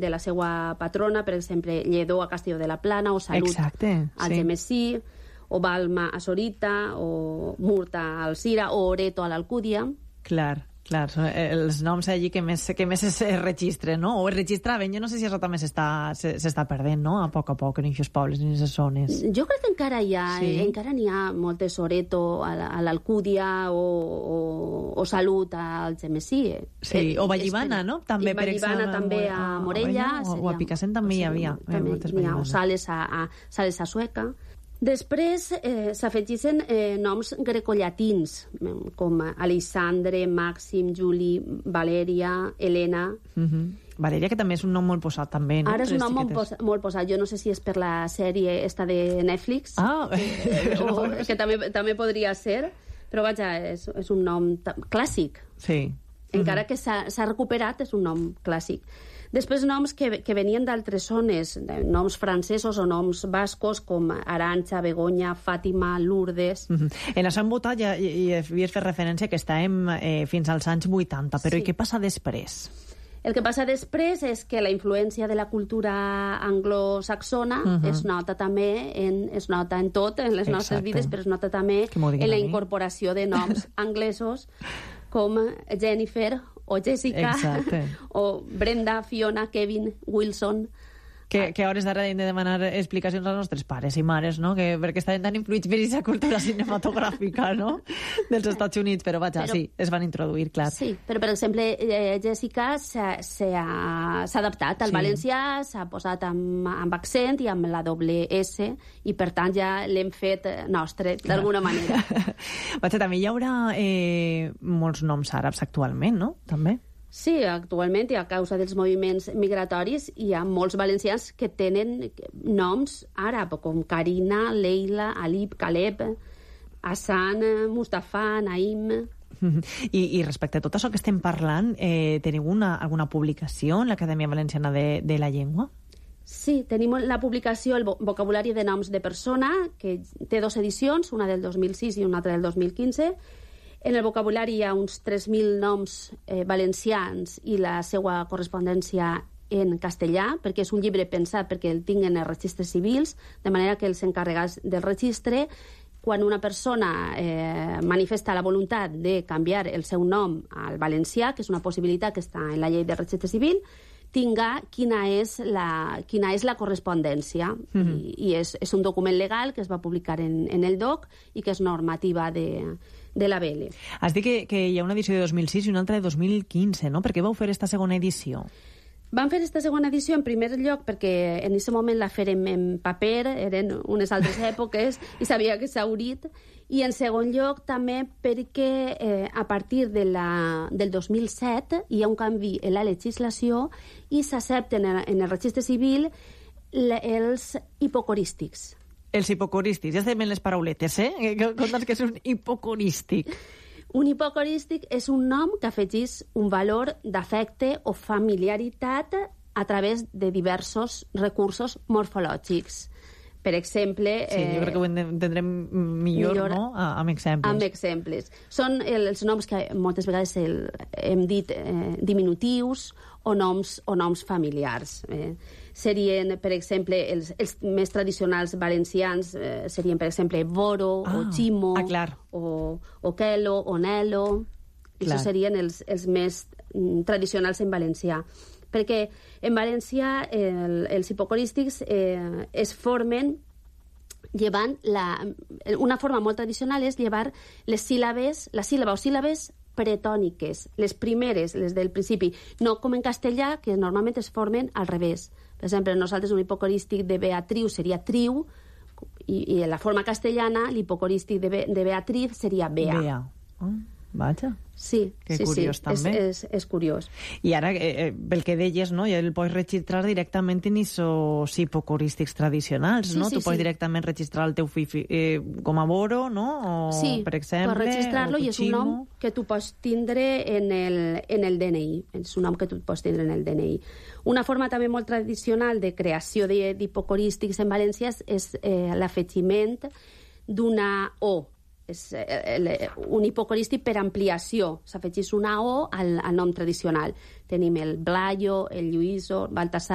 de la seva patrona, per exemple, Lledó a Castelló de la Plana, o Salut a Algemesí, o Balma a Sorita, o Murta a Alzira, o Oreto a l'Alcúdia. Clar, són els noms allí que més es registren, no? O es registraven. Jo no sé si això també s'està perdent, no? A poc en aquests pobles, en aquestes zones. Jo crec que encara n'hi ha moltes, Oreto a l'Alcúdia o Salut a Algemesí. Sí, o Vallivana, no? També, per exemple. Vallivana també a Morella. O a Picassent també hi havia. O Sales a Sueca. Després s'afegeixen noms grecollatins, com Alexandre, Màxim, Juli, Valèria, Helena... Valeria, que també és un nom molt posat, també, no? Ara és un nom molt posat. Jo no sé si és per la sèrie esta de Netflix, que també podria ser, però vaja, és un nom clàssic. Sí. Encara que s'ha recuperat, és un nom clàssic. Després noms que venien d'altres zones, noms francesos o noms bascos, com Arantxa, Begoña, Fàtima, Lourdes... En això hem votat i havies fet referència que estàvem fins als anys 80, però i què passa després? El que passa després és que la influència de la cultura anglosaxona es nota també, es nota en tot, en les nostres vides, però es nota també en la incorporació de noms anglesos com Jennifer o Jessica, o Brenda, Fiona, Kevin, Wilson... Que a hores d'ara hem de demanar explicacions als nostres pares i mares, no? Perquè estaven tan influïts per aquesta cultura cinematogràfica, no? Dels Estats Units, però vaja, sí, es van introduir, clar. Sí, però per exemple, Jessica s'ha adaptat al valencià, s'ha posat amb accent i amb la doble S, i per tant ja l'hem fet nostre, d'alguna manera. Vaja, també hi haurà molts noms àrabs actualment, no? També. Sí, actualment, i a causa dels moviments migratoris, hi ha molts valencians que tenen noms àrab, com Karina, Leila, Alip, Caleb, Hassan, Mustafa, Naim... I respecte a tot això que estem parlant, teniu alguna publicació en l'Acadèmia Valenciana de la Llengua? Sí, tenim la publicació El vocabulari de noms de persona, que té 2 edicions, una del 2006 i una altra del 2015. En el vocabulari hi ha uns 3.000 noms valencians i la seva correspondència en castellà, perquè és un llibre pensat perquè el tinguen els registres civils, de manera que els encarregats del registre, quan una persona manifesta la voluntat de canviar el seu nom al valencià, que és una possibilitat que està en la llei del registre civil, tinga quina és la correspondència. I és un document legal que es va publicar en el DOC i que és normativa de la BL. Has dit que hi ha una edició de 2006 i una altra de 2015, no? Per què vau fer esta segona edició? Vam fer aquesta segona edició en primer lloc perquè en aquest moment la fèrem en paper, eren unes altres èpoques i sabia que s'ha haurit, i en segon lloc també perquè a partir del 2007 hi ha un canvi en la legislació i s'accepten en el registre civil els hipocorístics. Els hipocorístics, ja estem en les parauletes, Conta'ns que és un hipocorístic. Un hipocorístic és un nom que afegís un valor d'afecte o familiaritat a través de diversos recursos morfològics. Per exemple... Sí, jo crec que ho entendrem millor, no?, amb exemples. Amb exemples. Són els noms que moltes vegades hem dit diminutius o noms familiars. Serien, per exemple, els més tradicionals valencians serien, per exemple, Boro, o Chimo, o Kelo, o Nelo. Això serien els més tradicionals en valencià. Perquè en valencià els hipocorístics es formen llevant una forma molt tradicional és llevar la síl·laba o síl·labes pretòniques, les primeres, les del principi, no com en castellà, que normalment es formen al revés. Per exemple, nosaltres un hipocorístic de Beatriu seria triu, i en la forma castellana l'hipocorístic de Beatriz seria Bea. Bea. Vaja. Sí, que curiós, també. És curiós. I ara, pel que deies, no, ja el pots registrar directament en aquests hipocorístics tradicionals, no? Tu pots directament registrar el teu fill com a Boro, no? Sí, per exemple, pots registrar-lo i és un nom que tu pots tindre en el DNI. És un nom que tu pots tindre en el DNI. Una forma també molt tradicional de creació d'hipocorístics en València és l'afegiment d'una O. És un hipocorístic per ampliació. S'afegeix una O al nom tradicional. Tenim el Blayo, el Lluïso, Baltasar,